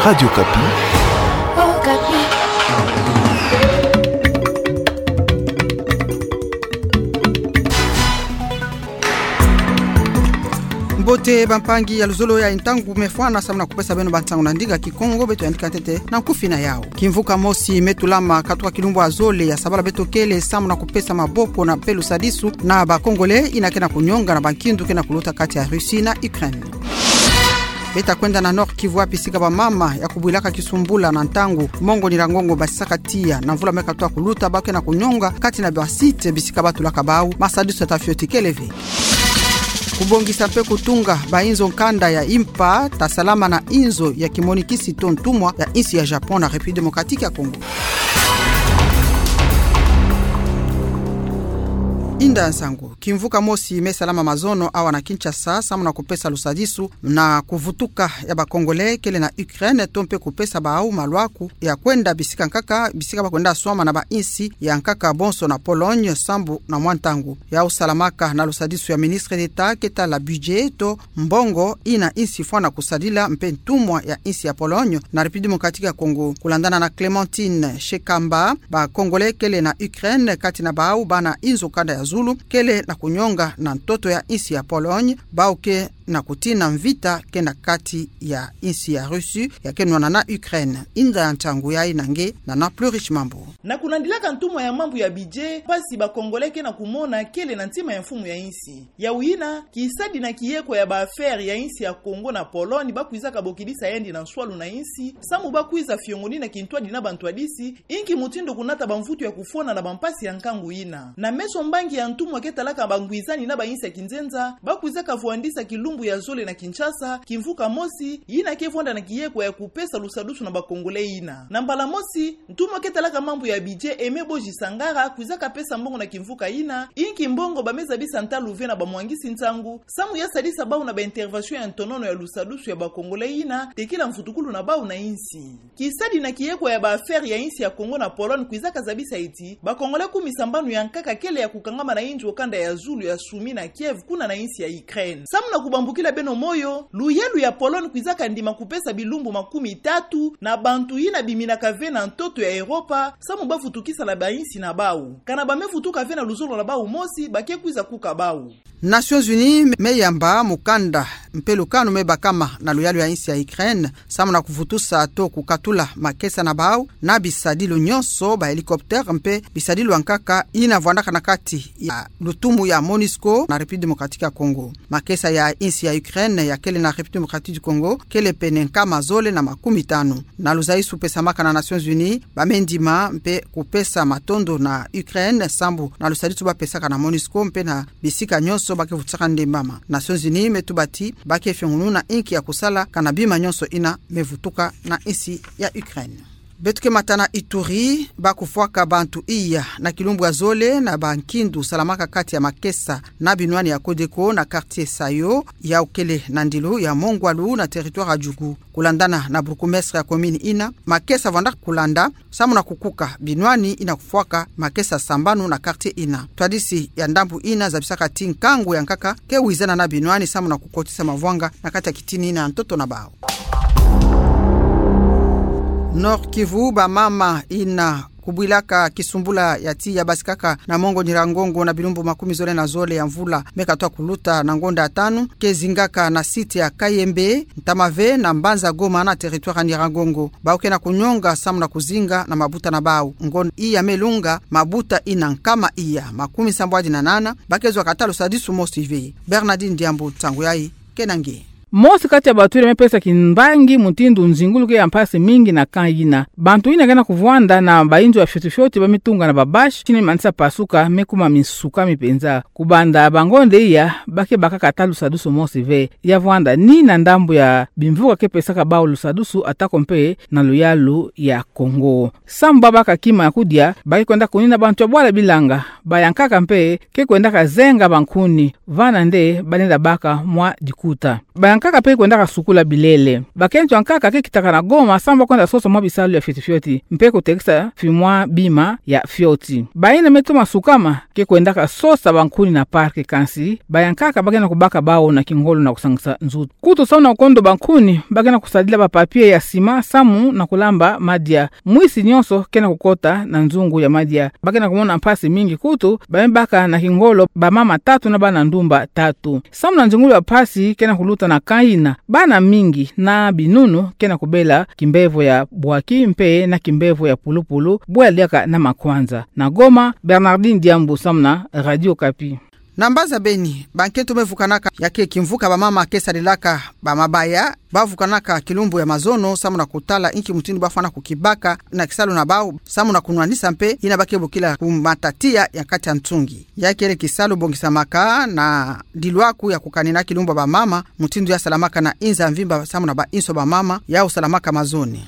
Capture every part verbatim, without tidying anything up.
Radio Okapi. Mbote bampangi ya luzolo ya ntangu me fwana samu na kupesa beno bansangu na ndinga Kikongo, beto yandika ntete na nkufi na yau. Kimvuka mosi me tulama katuka kilumbu ya zole ya sabala beto kele samu na kupesa maboko na mpe lusadisu na ba Congolais ina ke na kunyonga na bankindu ke na kuluta kati ya Russie na Ukraine. Beta kwenda na Nord-Kivu, bisika bamama ya kubwilaka kisumbula na ntangu Mongo Nyiragongo basisaka tiya na mvula me katuka kuluta, ba ke na kunyonga kati na ba site bisika ba tulaka bau, masadisu ya tafioti kele ve. Kubongisa mpe kutunga ba inzo nkanda ya impa ta salama na inzo ya kimonikisi to ntumwa ya insi ya Japon na République Démocratique ya Congo. Inda nsangu. Kimvuka mosi me salama mazono awa na Kinshasa, samu na kupesa lusadisu na kuvutuka ya ba Congolais kele na Ukraine, to mpe kupesa bau malwaku ya kwenda bisika nkaka, bisika ba kwenda swama na ba insi ya nkaka bonso na Pologne, sambu na mwa ntangu. Yau salamaka na lusadisu ya ministre d'État ke tala budget to mbongo ina insi fwana kusadila mpe ntumwa ya insi ya Pologne na République Démocratique ya Congo. Kulandana na Clémentine Shekamba, ba Congolais kele na Ukraine, kati na bau bana inzo nkanda ya zulu, kele na kunyonga na ntoto ya insi ya Pologne, bau ke na kutina mvita ke na kati ya insi ya Russie, ya ke nwana na Ukraine. Inda ya ntangu ya ina nge na na Plurish Mambu. Na kulandilaka ntumwa ya mambu ya budget, mpasi ba Congolais ke na kumona kele na ntima ya mfumu ya insi. Yau ina, kisadi na kiyeko ya ba affaires ya insi ya Congo na Pologne ba kwizaka bokidisa yandi na nswalu na insi, samu ba kwiza fiongonina kintwadi na bantwadisi, inki mutindu kunata bamvutu ya kufona na bampasi ya nkangu ina. Na meso mbangi ya ntumwa ke talaka bangwizani na ba insi ya kinzenza, ba kwizaka vwandisa kilumbu ya zole na Kinshasa, kimvuka mosi, ina ke vwanda na kiyeko ya kupesa lusadusu na ba Congolais ina. Na mbala mosi, ntumwa ke talaka mambu ya budget Aimé Boji Sangara kwizaka pesa mbongo na kimvuka ina, inki mbongo ba me zabisa ntalu ve na bamwangisi nsangu, samu ya sadisa bau na ba intervention ya ntonono ya lusadusu ya ba Congolais ina, tekila mvutukulu na bau na insi. Kisadi na kiyeko ya ba affaires ya insi ya Congo na Pologne kwizaka zabisa ti ba Congolais kumi sambanu ya nkaka kele ya kukangama na inzo kanda ya zulu ya Soumy na Kiev, kuna na insi ya Ukraine. Samu na kubambukila beno moyo, luyalu ya Pologne kwizaka ndima kupesa bilumbu makumi tatu na bantu ina biminaka ve na ntoto ya Europa, samu ba vutukisa na ba insi na bau. Kana ba me vutuka ve na luzolo na bau mosi, ba ke kwiza kuka bau. Nations Unies me yamba mukanda mpe lukanu me bakama na luyalu ya insi ya Ukraine, samu na kuvutusa to kukatula makesa na bau na bisadilu nyonso, ba hélicoptère mpe bisadilu ya nkaka ina vwandaka na kati ya lutumu ya MONUSCO na République Démocratique ya Congo. Makesa ya insi ya Ukraine ya kele na République Démocratique du Congo kele pene nkama zole na makumi tanu. Na luzaisu pesamaka na Nations Unies, ba me ndima mpe kupesa matondo na Ukraine sambu na lusadisu ba pesaka na MONUSCO mpe na bisika nyonso ba ke vutusaka ndembama. Nations Unies me tuba ti ba ke fiongununa inki ya kusala kana bima nyonso ina me vutuka na insi ya Ukraine. Beto ke mata na Ituri, ba kufwaka bantu iya na kilumbu ya zole na bankindu salamaka kati ya makesa na binwani ya Codeco na quartier Sayo, yau kele na ndilu ya Mongwalu na territoire ya Djugu. Kulandana na bourgmestre ya commune ina, makesa vwandaka kulanda samu na kukuka binwani ina kufwaka makesa sambanu na quartier ina. Ntwadisi ya ndambu ina zabisaka ti nkangu ya nkaka ke wizana na binwani samu na kukotisa mavwanga na kati ya kitini ina ya ntoto na bau. Nord-Kivu, bamama ina kubwilaka kisumbula ya tiya basikaka na Mongo Nyiragongo na bilumbu makumi zole na zole ya mvula me katuka kuluta na ngonda ya tanu, ke zingaka na site ya Kayembe, ntama ve na mbanza Goma na territoire ya Nyiragongo. Bau ke na kunyonga samu na kuzinga na mabuta na bau. Ngonda iya me lunga, mabuta ina nkama iya makumi sambwadi na nana ba ke zwa kata lusadisu mosi ve. Bernardine Diambu, nsangu yayi ke na nge. Mosi kati ya bantu ina me pesa kimbangi mutindu nzingulu ke ya mpasi mingi na camp ina. Bantu ina ke na kuvwanda na bainzo ya fioti fioti ba me tunga na ba bâche, ti ni manisa pasuka, me kuma minsuka mi penza. Kubanda bangonda iya, ba ke baka kata lusadisu mosi ve. Ya vwanda ni na ndambu ya bimvuka ke pesaka bau lusadisu, atako mpe na luyalu ya Congo. Samu ba baka kima ya kudia, ba ke kwenda kunina bantu ya bwala bilanga. Bayankaka mpe ke kwendaka zenga bankuni, vana nde ba lenda baka mwa dikuta. Bayankaka Nkaka mpe kwendaka sukula bilele. Bakento ya nkaka ke kitaka na Goma samu ba kwenda sosa mwa bisalu ya fioti fioti, mpe kutekisa fimwa bima ya fioti. Bayina me toma sukama ke kwendaka sosa bankuni na parc, kansi ba ya nkaka ba ke na kubaka bawu na kingolo na kusangisa nzutu. Kutu samu na kukondoba nkuni, ba ke na kusadila ba papier ya sima samu na kulamba madia. Mwisi nyonso ke na kukota na nzungu ya madia. Ba ke na kumona mpasi mingi kutu, ba me baka na kingolo bamama tatu na bana ndumba tatu. Samu na nzingulu ya mpasi ke na kuluta na camp yina, bana mingi na binunu ke na kubela kimbevo ya bwaki mpe na kimbevo ya pulupulu, bwela diaka na makwanza. Na Goma, Bernardine Diambu samu na Radio Okapi. Na mbanza Beni, bankento me vukanaka, ya ke kimvuka bamama ke sadilaka ba mabaya, ba vukanaka kilumbu ya mazono samu na kutala inki mutindu ba fwana kukibaka na kisalu na bawu, samu na kunwanisa mpe yina ba ke bokila ku matatia ya kati ya ntungi. Ya kele kisalu bongisamaka na dilwaku ya kukanina kilumbu ya bamama, mutindu ya salamaka na inza mvimba samu na ba inso bamama, ya usalamaka mazono.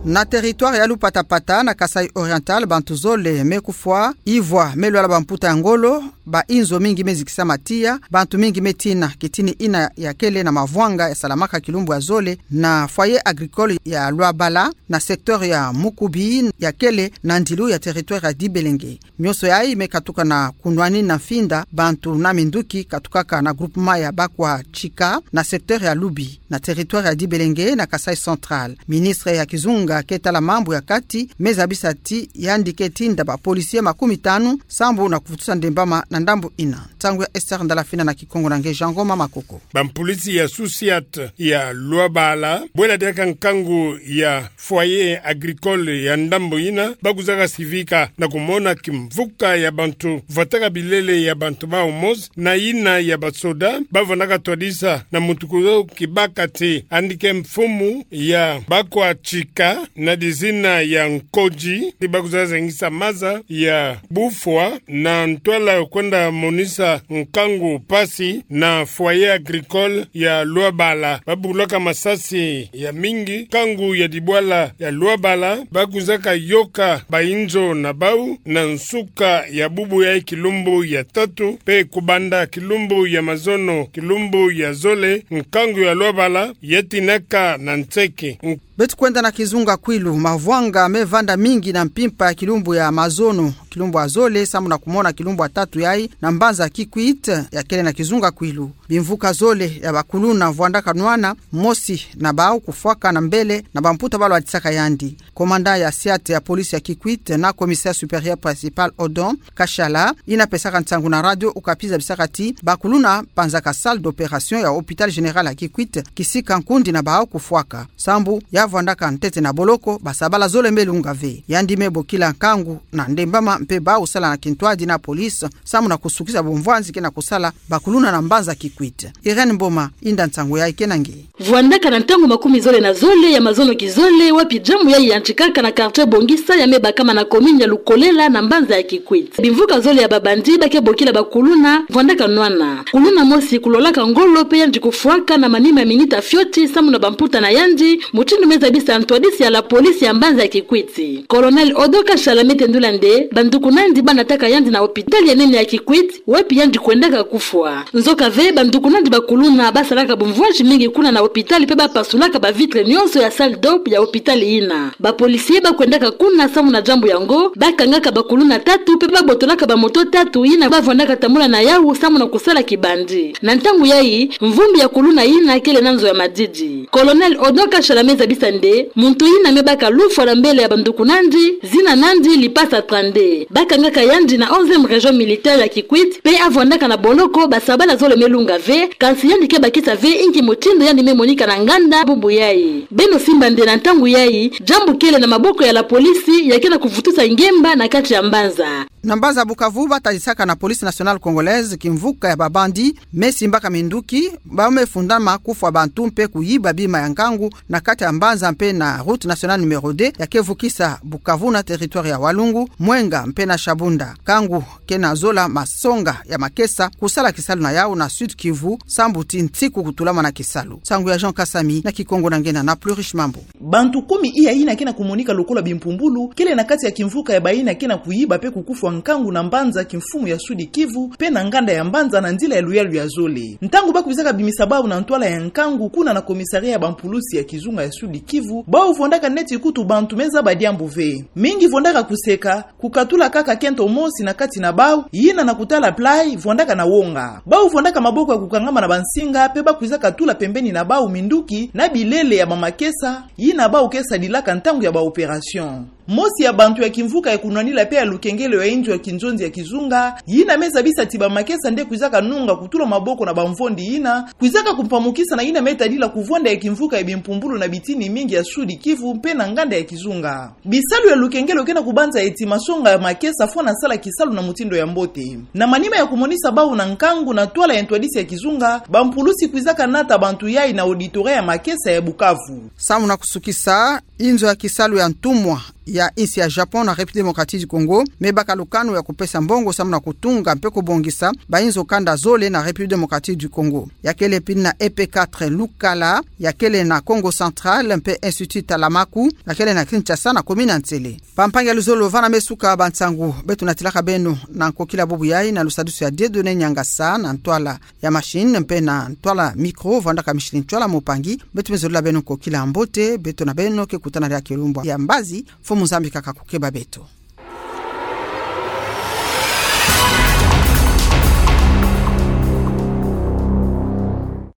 Na territoire ya Lupatapata na Kasaï Oriental, bantu zole me kufwa, ivwa me lwala bamputa ya ngolo, ba inzo mingi me zikisama tiya, bantu mingi me tina. Kitini yina ya kele na mavwanga ya salamaka kilumbu ya zole na foyer agricole ya Lwabala, na secteur ya Mukubi, ya kele na ndilu ya territoire ya Dibelenge. Nyonso yayi me katuka na kunwanina mfinda bantu na minduki katukaka na groupement ya Bakwa Tshika, na secteur ya Lubi, na territoire ya Dibelenge, na Kasaï Central. Ministre ya kizunga ke tala mambu ya kati me zabisa ti yandi ke tinda ba policier makumi tanu sambu na kuvutusa ndembama na ndambu yina. Nsangu ya Esther Ndalafina na Kikongo na nge Jean Ngoma Makoko. Bampolisi ya SUSIAT ya Lwabala, bwela diaka nkangu ya foyer agricole ya ndambu yina, ba kwizaka sivika na kumona kimvuka ya bantu vwataka bilele ya bantu bawu mosi na yina ya basoda, ba vandaka twadisa na muntu kuzo kibaka ti yandi ke mfumu ya Bakwa Tshika na dizina ya Nkoji, ti ba kwizaka zengisa maza ya bufwa na ntwala kwenda monisa nkangu mpasi na foyer agricole ya Lwabala. Ba bulaka masasi ya mingi, nkangu ya dibwala ya Lwabala, ba kwizaka yoka ba inzo na bawu na nsuka ya bubu ya kilumbu ya tatu, mpe kubanda kilumbu ya mazono, kilumbu ya zole, nkangu ya Lwabala ya tinaka na nseke. Beto kwenda na Kizunga Kwilu, mavwanga me vanda mingi na mpimpa ya kilumbu ya mazono, kilumbu ya zole samu na kumona kilumbu ya tatu yayi, na mbanza Kikwit ya kele na Kizunga Kwilu. Bimvuka zole ya bakuluna vwandaka nwana, mosi na bawu kufwaka na mbele na bamputa ba lwatisaka yandi. Commandant ya SUSIAT ya police ya Kikwit na commissaire supérieur principal Odon Kashala, yina pesaka nsangu na Radio Okapi zabisaka ti bakuluna panzaka salle d'opération ya hôpital général ya Kikwit, kisika nkundi na bawu kufwaka. Sambu ya vwandaka ntete na boloko, basabala zole me lunga ve. Yandi me bokila nkangu na ndembama mpe bawu sala na kintwadi na police, samu na kusukisa bumvwanzi ke na kusala bakuluna na mbanza Kikwit. Irène Mboma, inda nsangu yayi ke na nge. Vwandaka na ntangu makumi zole na zole ya mazono kizole, wapi jambu yayi yantikaka na quartier Bongisa ya me bakama na commune ya Lukolela na mbanza ya Kikwit. Bimvuka zole ya babandi ba ke bokila bakuluna vwandaka nwana. Kuluna mosi kulolaka ngolo mpe yandi kufwaka na manima ya minita fioti samu na bamputa na yandi, mutindu me zabisa ntwadisi ya la police ya mbanza ya Kikwit. Colonel Odon Kashala me tendula nde bandukunandi ba nataka yandi na hôpital ya nene ya Kikwit, wapi yandi kwendaka kufwa. Nzoka ve, bandukunandi bakuluna ba salaka bumvwanzi mingi kuna na hôpital mpe ba pasulaka ba vitre nyonso ya salle d'op ya hôpital yina. Ba policiers ba kwendaka kuna samu na jambu yango, ba kangaka bakuluna tatu mpe ba botolaka ba moto tatu yina ba vwandaka tambula na yawu samu na kusala kibandi. Na ntangu yayi, mvumbi ya kuluna yina kele na nzo ya madidi. Colonel Odon Kashala me zabisa nde muntu yina me baka lufwa na mbele ya bandukunandi, zina nandi Lipasa Trande. Ba kangaka yandi na onzième région militaire ya Kikwit, mpe a vwandaka na boloko basabala zole me lunga ve, kansi yandi ke bakisa ve inki mutindu yandi me monika na nganda bubu yayi. Beno simba nde na ntangu yayi, jambu kele na maboko ya la police, ya ke na kuvutusa ngemba na kati ya mbanza. Na mbanza Bukavu, ba talisaka na Police Nationale Congolaise kimvuka ya babandi me simbaka minduki, ba me fundama kufwa bantu mpe kuyiba bima ya nkangu na kati ya mbanza mpe na route nationale numéro deux ya ke vukisa Bukavu na territoire ya Walungu, Mwenga mpe na Shabunda. Nkangu ke na zola masonga ya makesa kusala kisalu na yawu na Sud-Kivu, sambu ti nsiku kutulama na kisalu. Nsangu ya Jean Kasami na Kikongo na nge Nana Plurish Mambu. Bantu kumi iya yina ke na kumonika lokola bimpumbulu kele na kati ya kimvuka ya bayina ke na kuyiba mpe kukufwa nkangu na mbanza kimfumu ya Sud-Kivu, mpe na nganda ya mbanza na nzila ya luyalu ya zole. Ntangu ba kwizaka bimisa bau na ntwala ya nkangu kuna na commissariat ya bampulusi ya kizunga ya Sud-Kivu, bau vwandaka neti kutu bantu me zaba diambu ve. Mingi vwandaka kuseka, kukatula kaka kento mosi na kati na bau, yina na kutala play, vwandaka na wonga. Bau vwandaka maboko ya kukangama na bansinga, mpe ba kwizaka tula pembeni na bau minduki, na bilele ya bamakesa, yina bau ke sadilaka ntangu ya ba opération. Mosi ya bantu ya kimvuka ya kunwanila mpe ya lukengelo ya inzo ya kinzonzi ya kizunga, yina me zabisa ti bamakesa nde kwizaka nunga kutula maboko na bamvondi yina, kwizaka kumpamukisa na yina me tadila kuvwanda ya kimvuka ya bimpumbulu na bitini mingi ya Sud-Kivu mpe na nganda ya kizunga. Bisalu ya lukengelo ke na kubanza eti masonga ya makesa fwana sala kisalu na mutindu ya mbote. Na manima ya kumonisa bau na nkangu na ntwala ya ntwadisi ya kizunga, bampulusi kwizaka nata bantu yai na auditorat ya makesa ya Bukavu. Samu na kusukisa, inzo ya kisalu ya ntumwa ya insi ya Japon na République Démocratique du Congo me baka lukanu ya kupesa mbongo samu na kutunga mpe kubongisa bainzo kanda zole na République Démocratique du Congo. Ya kele pili na E P quatre Lukala, ya kele na Kongo Central mpe Institut Talamaku, ya kele na Kinshasa na commune ya Nsele. Bampangi ya luzolo, vana me suka bansangu beto natilaka beno. Na nkokila bubu yai, na lusadisu ya Dieudonné Niangasa, na ntwala ya machine mpe na ntwala micro vwandaka Micheline Tshoala Mupangi, beto me zolila beno nkokila mbote. Beto na beno ke kutana diaka kilumbu ya mbazi, mfumu Nzambi kaka kukeba beto.